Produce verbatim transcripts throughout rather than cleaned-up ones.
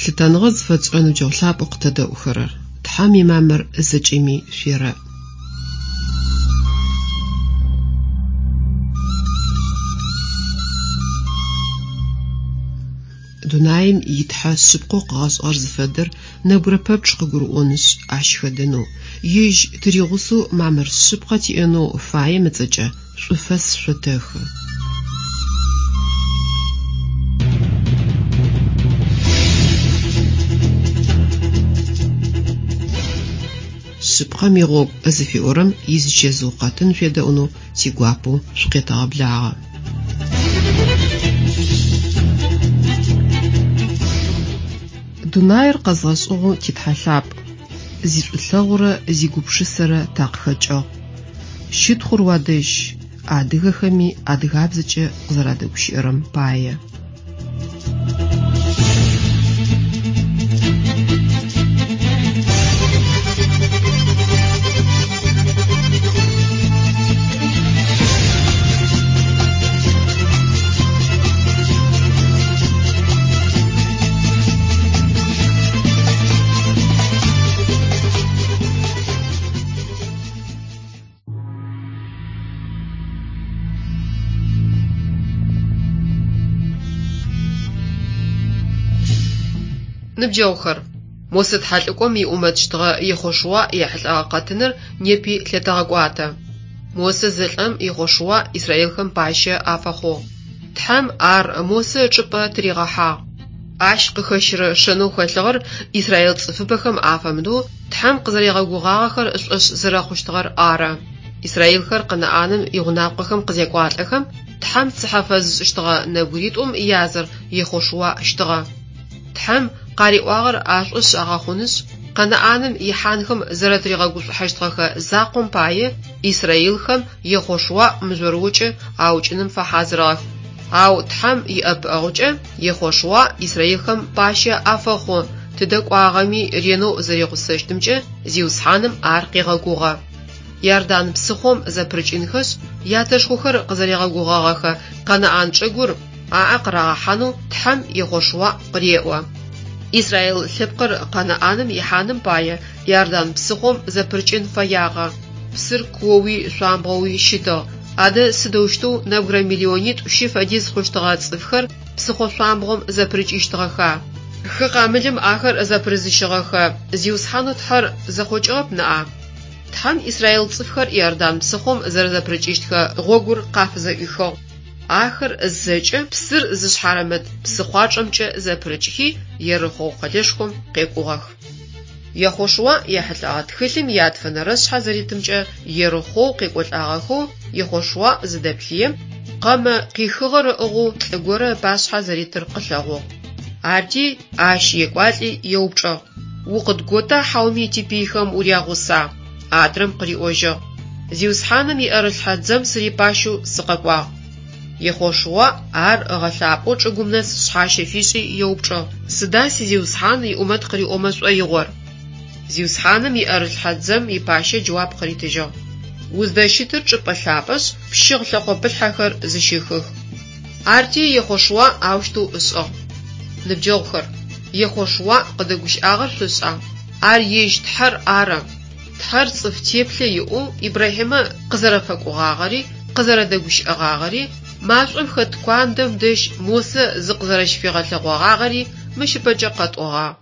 Лъытэныгъэ зыфэтшӏырэ ныбджэгъу лъапӏэу къытэдэӏухэрэр! Тхьэм имамыр зэкӏэми шъуерэӏ. Дунаим итхьэ шъыпкъэу къыгъэшӏыгъэр зыфэдэр нэбгырэ пэпчъ къыгурыӏонышъ, ащ хэдэнэу, ежь тыригъусэу мамыр шъыпкъэ тиӏэнэу фаем ыцӏэкӏэ шӏуфэс шъотэхы. Шъыпкъэм игъогу зыфиӏорэм изычэзыу къэтын шъуедэӏунэу тигуапэу шъукъетэгъэблагъэ. Дунаир къэзгъэшӏыгъэу титхьэ лъапӏ, зишӏулъэгъурэ зигупшысэрэ такъыхэкӏыгъ. Щытхъур уадэжь, адыгэхэми адыгабзэкӏэ къызэрадэгущыӏэрэм пае. Ныбджэгъухэр, Мосэ тхьэлӏыкӏом иӏумэтщтыгъэ Ехъошуа ехьылӏэгъэ къэтыныр непи лъытэгъэкӏуатэ. Мосэ зэлӏэм Ехъошуа израилхэм пащэ афэхъугъ. Тхьэм ар Мосэ ычӏыпӏэ тыригъэхьагъ. Ащ къыхэщырэ шэнэу хэлъыгъэр израил цӏыфыбэхэм афэмыдэу Тхьэм къызэригъэгугъагъэхэр ышӏошъ зэрэхъущтыгъэр ары. Израилхэр Къэнаӏаным игъунапкъэхэм къызекӏуалӏэхэм, Тхьэм цыхьэ фэзышӏыщтыгъэ нэбгыритӏум языр Ехъошуа щтыгъэ. Тхьэм къариӏуагъэр ашӏошъ агъэхъунышъ, Къэнаӏаным ихьанхэм зэрэтыригъэгушӏухьэщтыгъэхэ закъом пае израилхэм Ехъошуа мыжъорыокӏэ аукӏыным фэхьазырыгъэх. Ау Тхьэм иӏэпыӏэгъукӏэ Ехъошуа израилхэм пащэ афэхъу, тыдэ кӏуагъэми ренэу зэригъусэщтымкӏэ Зиусхьаным ар къегъэгугъэ. Иордан псыхъом зэпырыкӏынхэшъ, ятэшхохэр къызэригъэгугъэгъэхэ Къэнаӏан чӏыгур аӏэ къырагъэхьанэу Тхьэм Ехъошуа къыреӏо. Израил лъэпкъыр Къэнаӏаным ихьаным пае Иордан псыхъом зэпырыкӏын фэягъэ. Псыр куоуи шъуамбгъоуи щытыгъ. Адэ сыдэущтэу нэбгырэ миллионитӏу щы фэдиз хъущтыгъэ цӏыфхэр псыхъо шъуамбгъом зэпырыкӏыщтыгъэха? Хы къамылым ахэр зэпырызыщыгъэхэ Зиусхьанэу Тхьэр зэхъокӏыгъэп ныӏа? Тхьэм израил цӏыфхэр Иордан псыхъом зэрэзэпырыкӏыщтхэ гъогур къафызэӏуихыгъ. Ахэр зэкӏэ псыр зышъхьарымыт псыхъуачӏэмкӏэ зэпырыкӏхи, Ерыхъоу къэлэшхом къекӏугъэх. Ехъошуа ехьылӏэгъэ тхылъым ятфэнэрэ шъхьэ зэритымкӏэ Ерыхъоу къекӏолӏагъэхэу Ехъошуа зыдэплъыем, къэмэ къихыгъэр ыӏыгъэу лӏы горэ ыпашъхьэ зэритыр къылъэгъугъ. Арти ащ екӏуалӏи еупчӏыгъ: «Укъыдгота хьауми типыйхэм урягъуса?» Адрэм къыриӏожьыгъ: «Зиусхьаным иӏэрылъхьэ дзэм сырипащэу сыкъэкӏуагъ». Ехъошуа ар ыгъэлъапӏэу чӏыгум нэс шъхьащэ фишӏи еупчӏыгъ: «Сыда сизиусхьан иӏумэт къыриӏомэ шӏоигъор?» Зиусхьаным иӏэрылъхьэ дзэм ипащэ джэуап къыритыжьыгъ: «Уздэщытыр чӏыпӏэ лъапӏэшъ, пщыгъ лъэкъопылъхьэхэр зыщыхых». Арти Ехъошуа аущтэу ышӏыгъ. Ныбджэгъухэр, Ехъошуа къыдэгущыӏагъэр шъошӏа? Ар ежь Тхьэр ары. Тхьэр цӏыф теплъэ иӏэу Ибрахьимэ къызэрэфэкӏогъагъэри, къызэрэдэгущыӏэгъагъэри, машӏом хэт куандэм дэжь Мосэ зыкъызэрэщыфигъэлъэгъогъагъэри мыщ ыпэкӏэ къэтӏогъагъ.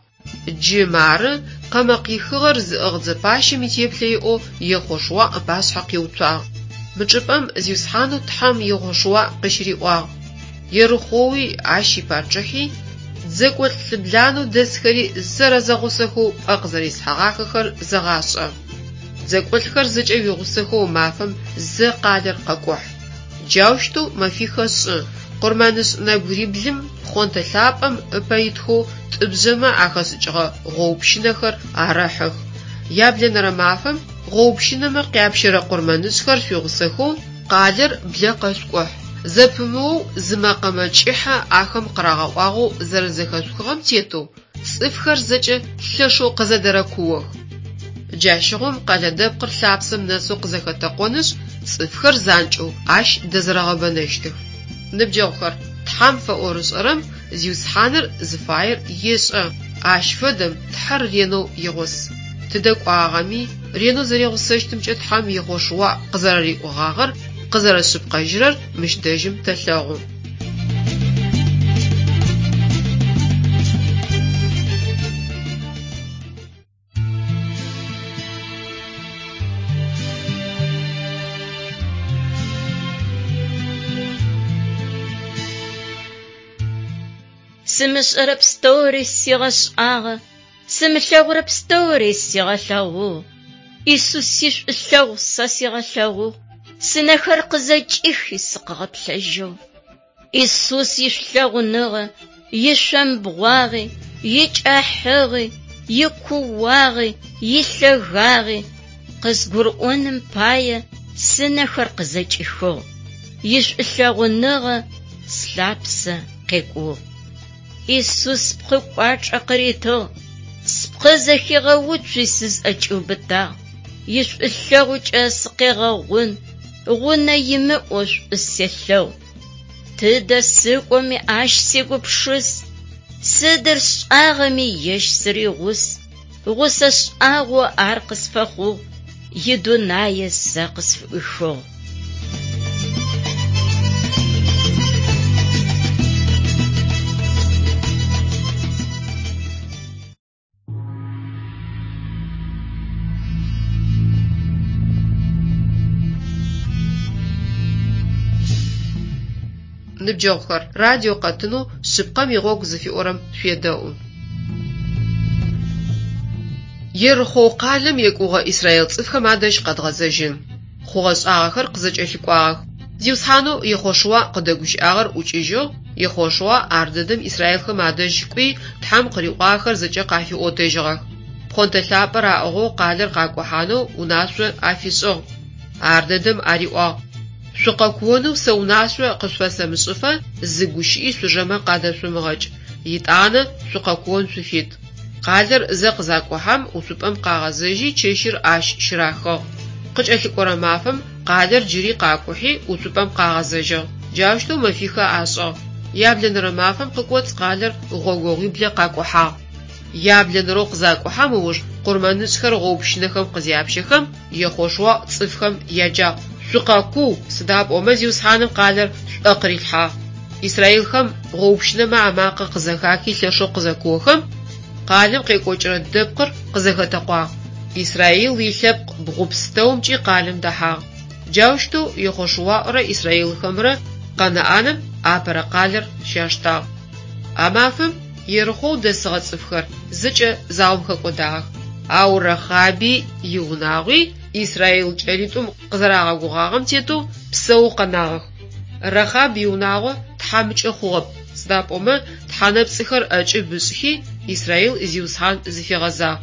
Джы мары къэмэ къихыгъэр зыӏыгъ дзэпащэм итеплъэ иӏэу Ехъошуа ыпашъхьэ къиуцуагъ. Мы чӏыпӏэм Зиусхьанэу Тхьэм Ехъошуа къыщыриӏуагъ: «Ерыхъоуи ащ ипачъыхьи, дзэкӏолӏ лӏыбланэу дэсхэри зэрэзэгъусэхэу пӏэ къызэрислъхьэгъахэхэр зэгъашӏэ. Дзэкӏолӏхэр зэкӏэ уигъусэхэу мафэм зэ къалэр къэкӏухь. Джаущтэу мэфихэ шӏы, къурмэнышӏ нэбгыриблым пхъонтэ лъапӏэм ыпэ итхэу тӏыбжъэмэ ахэшӏыкӏыгъэ гъоупщынэхэр арэхьых. Яблэнэрэ мафэм гъоупщынэмэ къяпщэрэ къурмэнышӏхэр шъуигъусэхэу къалэр блэ къэшъукӏухь. Зэпымыоу зы мэкъэмэ кӏыхьэ ахэм къырагъэӏуагъэу зэрэзэхэшъухыгъэм тетэу цӏыфхэр зэкӏэ лъэшэу къызэдэрэкуох. Джащыгъум къэлэ дэпкъыр лъапсэм нэсэу къызэхэтэкъонышъ, цӏыфхэр занкӏэу ащ дэзэрэгъэбэнэщтых. Ныбджэгъухэр, Тхьэм фэӏорышӏэрэм Зиусхьаныр зыфаер ешӏэ. Ащ фэдэм Тхьэр ренэу игъус. Тыдэ кӏуагъэми ренэу зэригъусэщтымкӏэ Тхьэм Ехъошуа къызэрэриӏогъагъэр къызэрэшъыпкъэжьырэр мыщ дэжьым тэлъэгъу. Сымышӏэрэ пстэури сигъэшӏагъэ, сымылъэгъурэ пстэури сигъэлъэгъугъ. Исус ишӏулъэгъу сэ сигъэлъэгъугъ, сынэхэр къызэкӏихи сыкъыгъэплъэжьыгъ. Исус ишӏулъэгъуныгъэ, ишъомбгъуагъи, икӏахьыгъи, икууагъи, илъэгагъи къызгурыӏоным пае сынэхэр къызэкӏихыгъ. Ишӏулъэгъуныгъэ слъапсэ къекӏугъ. Исус спкъы кӏуачӏэ къыритыгъ, спкъы зэхигъэуцуи сызӏэкӏиубытагъ. Ишӏулъэгъукӏэ сыкъегъэгъун, гъунэ имыӏэу шӏу селъэгъу. Тыдэ сыкӏоми ащ сегупшыс, сыдыр сшӏагъэми ежь сыригъус. Гъусэ шӏагъо ар къысфэхъугъ, идунае сэ къысфыӏуихыгъ. Ныбджэгъухэр, радио къэтынэу «Шъыпкъэм игъогу» зыфиӏорэм шъуедэӏу. Ерыхъоу къалэм екӏугъэ израил цӏыфхэм адэжь къэдгъэзэжьын. Хъугъэ-шӏагъэхэр къызэкӏэлъыкӏуагъэх. Зиусхьанэу Ехъошуа къыдэгущыӏагъэр ӏукӏыжьыгъ, Ехъошуа ар дэдэм израилхэм адэжь кӏуи, Тхьэм къыриӏуагъэхэр зэкӏэ къафиӏотэжьыгъэх. Пхъонтэ лъапӏэр аӏыгъэу къалэр къакӏухьанэу унашъо афишӏыгъ. Ар дэдэм ариӏуагъ: «Шъукъэкуонэу сэ унашъо къышъуфэсэмышӏыфэ зы гущыӏи шъужэмэ къадэшъумыгъэкӏ, етӏанэ шъукъэкуон шъуфит». Къалэр зэ къызакӏухьэм уцупӏэм къагъэзэжьи чэщыр ащ щырахыгъ. Къыкӏэлъыкӏорэ мафэм къалэр джыри къакӏухьи уцупӏэм къагъэзэжьыгъ. Джаущтэу мэфихэ ашӏыгъ. Яблэнэрэ мафэм къыкӏоцӏ къалэр гъогогъуиблэ къакӏухьагъ. Яблэнэрэу къызакӏухьэм ыуж къурмэнышӏхэр гъоупщынэхэм къызяпщэхэм, Ехъошуа цӏыфхэм яджагъ: «Шъукъэкуу, сыда пӏомэ Зиусхьаным къалэр шъуӏэ къырилъхьагъ». Израилхэм гъоупщынэмэ амакъэ къызэхахи лъэшэу къызэкуохэм, къалэм къекӏокӏырэ дэпкъыр къызэхэтэкъуагъ. Израил илъэпкъ бгъу пстэумкӏи къалэм дэхьагъ. Джаущтэу Ехъошуарэ израилхэмрэ Къэнаӏаным апэрэ къалэр щаштагъ. А мафэм Ерыхъоу дэсыгъэ цӏыфхэр зэкӏэ заом хэкӏодагъэх. Ау Рахаби иунагъуи израил кӏэлитӏум къызэрагъэгугъагъэм тетэу псэоу къэнагъэх. Рахаб иунагъо тхьамыкӏэ хъугъэп, сыда пӏомэ тхьэнэпцӏыхэр ӏэкӏыб ышӏхи Израил Зиусхьан зыфигъэзагъ.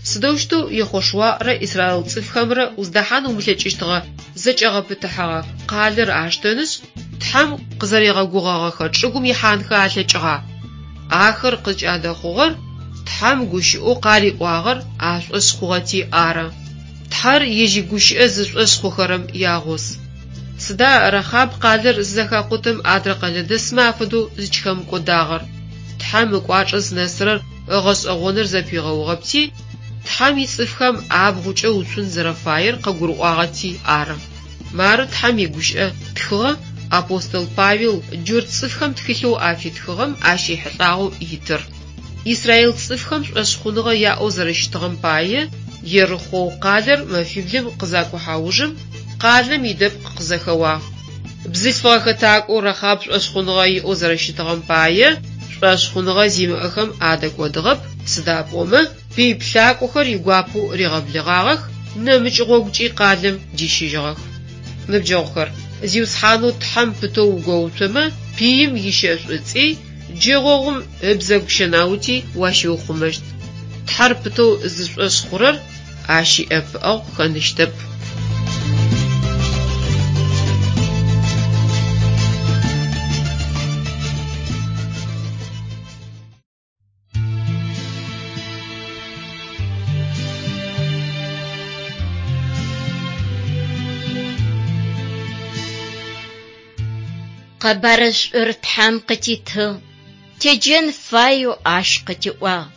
Сыдэущтэу Ехъошуарэ израил цӏыфхэмрэ уздэхьан умылъэкӏыщтыгъэ зэкӏэгъэпытыхьэгъэ къалэр аштэнышъ, Тхьэм къызэригъэгугъэгъэхэ чӏыгум ихьанхэ алъэкӏыгъа? Ахэр къызкӏадэхъугъэр Тхьэм гущыӏэу къариӏуагъэр ашӏошъ хъугъэти ары. Тхьэр ежь игущыӏэ зышӏошъ хъухэрэм ягъус. Сыда Рахаб къалэр зызэхакъутэм адрэ къэлэдэсмэ афэдэу зыкӏыхэмыкӏодагъэр? Тхьэм ыкӏуачӏэ зынэсырэр ыгъэшӏэгъоныр зэпигъэугъэпти, Тхьэм ицӏыфхэм абгъукӏэ уцун зэрэфаер къыгурыӏуагъэти ары. Мары Тхьэм игущыӏэ тхыгъэ апостол Павел джурт цӏыфхэм тхылъэу афитхыгъэм ащ ехьылӏагъэу итыр. Израил цӏыфхэм шӏошъхъуныгъэ яӏэу зэрэщытыгъэм пае Ерыхъоу къалэр мэфиблым къызакӏухьэ ужым къалэм идэпкъ къызэхэуагъ. Бзылъфыгъэ хэтакӏоу Рахаб шӏошъхъуныгъэ иӏэу зэрэщытыгъэм пае шӏошъхъуныгъэ зимыӏэхэм адэкӏодыгъэп, сыда пӏомэ пый плъакӏохэр игуапэу ригъэблэгъагъэх, нэмыкӏ гъогукӏи къалэм дищыжьыгъэх. Ныбджэгъухэр, Зиусхьанэу Тхьэм пытэу угоуцомэ, пыим ищэшӏуцӏи, джэгъогъум ыбзэгу щэнаути уащиухъумэщт. Тхьэр пытэу зышӏошъ хъурэр ащ иӏэпыӏэгъу хэныщтэп. Къэбарышӏур Тхьэм къытитыгъ, теджэн фаеу ащ къытиӏуагъ.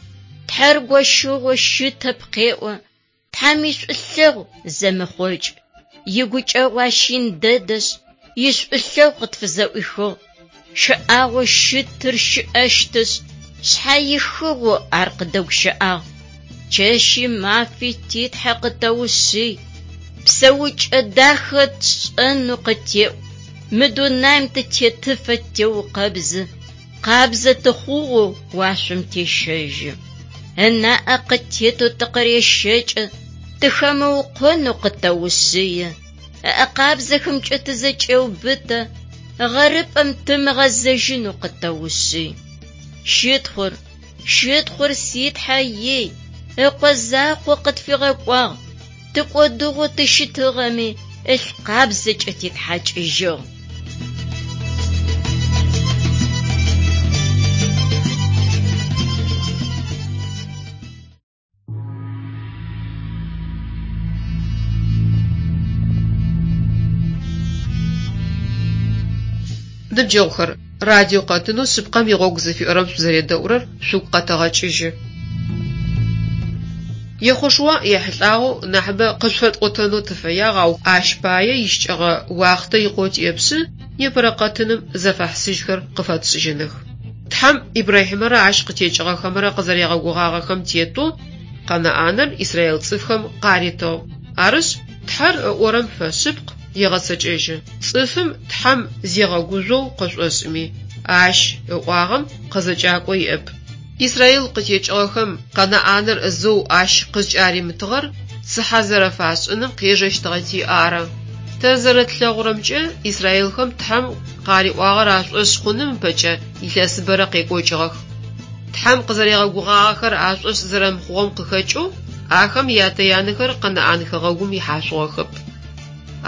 Тхьэр гощыгъэу щытэп къеӏо, Тхьэм ишӏулъэгъу зэмыхъокӏ. Игукӏэгъу ащ ин дэдэшъ, ишӏулъэгъу къытфызэӏуихыгъ. Щыӏагъэу щытыр щыӏэщтышъ, шъхьэихыгъэу ар къыдэгущыӏагъ. Чэщи мафи ти Тхьэ къытэушъый. Псэукӏэ дахэ тшӏэнэу къытеӏу. Мы дунаим тытетыфэ теукъэбзы, къабзэ тыхъугъэу уашъом тещэжьы. Ынаӏэ къытетэу тыкъырещэкӏы, тыхэмыукъонэу къытэушъые. Ыӏэ къабзэхэмкӏэ тызэкӏеубытэ, гъэрыпӏэм тымыгъэзэжьынэу къытэушъый. Щытхъур, щытхъур си Тхьэ ей, ыкъо закъо къытфигъэкӏуагъ, тыкӏодыгъэу тыщытыгъэми, ылъ къабзэкӏэ титхьакӏыжьыгъ. Ныбджэгъухэр, радио къэтынэу шъыпкъэм игъогу зыфиӏорэм шъузэредэӏурэр шъугу къэтэгъэкӏыжьы. Ехъошуа ехьылӏагъэу нахьыбэ къышъуфэтӏотэнэу тыфэягъ, ау ащ пае ищыкӏэгъэ уахътэ икъоу тиӏэпшъы непэрэ къэтыным зэфэхьысыжьхэр къыфэтшӏыжьыных. Тхьэм Ибрахьимэрэ ащ къытекӏыгъэхэмрэ къызэригъэгугъагъэхэм тетэу Къэнаӏаныр Израил цӏыфхэм къаритыгъ. Арышъ, Тхьэр ыӏорэм фэшъыпкъ, егъэцэкӏэжьы. Цӏыфым Тхьэм зегъэгужъоу къышӏошӏыми, ащ ыӏуагъэм къызэкӏакӏо иӏэп. Израил къытекӏыгъэхэм Къэнаӏаныр зэу ащ къызкӏаримытыгъэр цыхьэ зэрэфашӏыным къежэщтыгъэти ары. Тэ зэрэтлъэгъурэмкӏэ, израилхэм Тхьэм къариӏуагъэр ашӏошъ хъуным ыпэкӏэ илъэсыбэрэ къекӏокӏыгъэх. Тхьэм къызэригъэгугъагъэхэр ашӏошъ зэрэмыхъугъэм къыхэкӏэу ахэм ятэ-янэхэр Къэнаӏан хэгъэгум ихьашъугъэхэп.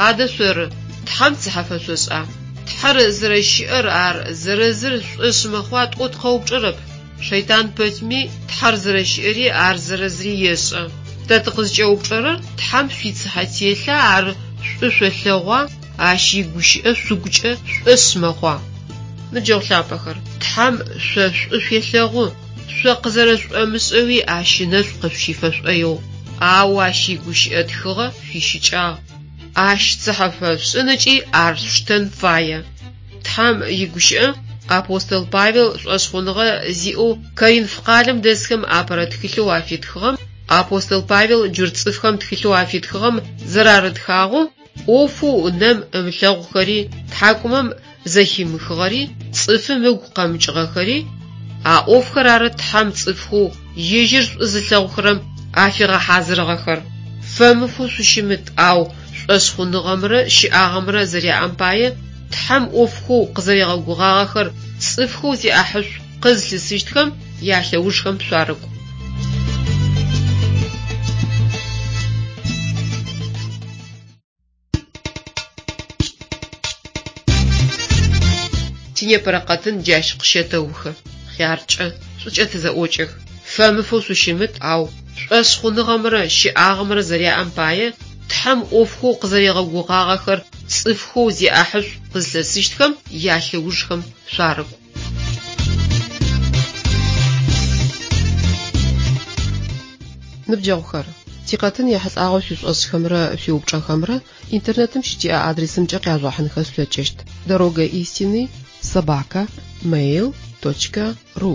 Адэ шъоры, Тхьэм цыхьэ фэшъошӏа? Тхьэр зэрэщыӏэр ар зэрэзыр шӏошъ мэхъуа тӏоу тыкъэупчӏэрэп. Шэйтан пэтми Тхьэр зэрэщыӏэри ар зэрэзыри ешӏэ. Тэ тыкъызкӏэупчӏэрэр Тхьэм шъуицыхьэ телъа ар шӏу шъолъэгъуа, ащ игущыӏэ шъугукӏэ шӏошъ мэхъуа? Ныбджэгъу лъапӏэхэр, Тхьэм шъо шӏу шъуелъэгъу, шъо къызэрэшӏомышӏэуи ащ ынэшӏу къышъущифэ шӏоигъу, ау ащ игущыӏэ тхыгъэ шъуищыкӏагъ. Ащ цыхьэ фэшъушӏын ыкӏи ар шъуштэн фае. Тхьэм игущыӏэ апостол Павел шӏошъхъуныгъэ зиӏэу Коринф къалэм дэсхэм апэрэ тхылъэу афитхыгъэм апостол Павел джурт цӏыфхэм тхылъэу афитхыгъэм зэрарытхагъэу ӏофэу нэм ымылъэгъухэри, тхьакӏумэм зэхимыхыгъэри, цӏыфым ыгу къэмыкӏыгъэхэри, а ӏофхэр ары Тхьэм цӏыфхэу ежьыр шӏу зылъэгъухэрэм афигъэхьазырыгъэхэр. Фэмыфэу шъущымыт, ау шӏошъхъуныгъэмрэ щыӏагъэмрэ зэряӏэм пае Тхьэм ӏофхэу къызэригъэгугъагъэхэр цӏыфхэу зиӏахьышӏу къызлъысыщтхэм ялъэужхэм шъуарыкӏу. Тинепэрэ къэтын джащ къыщэтэухы. Хъяркӏэ, шӏукӏэ тызэӏокӏэх. Фэмыфэу шъущымыт, ау шӏошъхъуныгъэмрэ щыӏагъэмрэ зэряӏэм пае Тхьэм ӏофхэу къызэригъэгугъагъэхэр цӏыфхэу зиӏахьышӏу къызлъысыщтхэм ялъэужхэм шъуарыкӏу. Ныбджэгъухэр, тикъэтын ехьылӏагъэу шъуишӏошӏхэмрэ шъуиупчӏэхэмрэ интернетым щытиӏэ адресымкӏэ къяжъугъэхьынхэ шъулъэкӏыщт: дорога истины собака mail точка ру.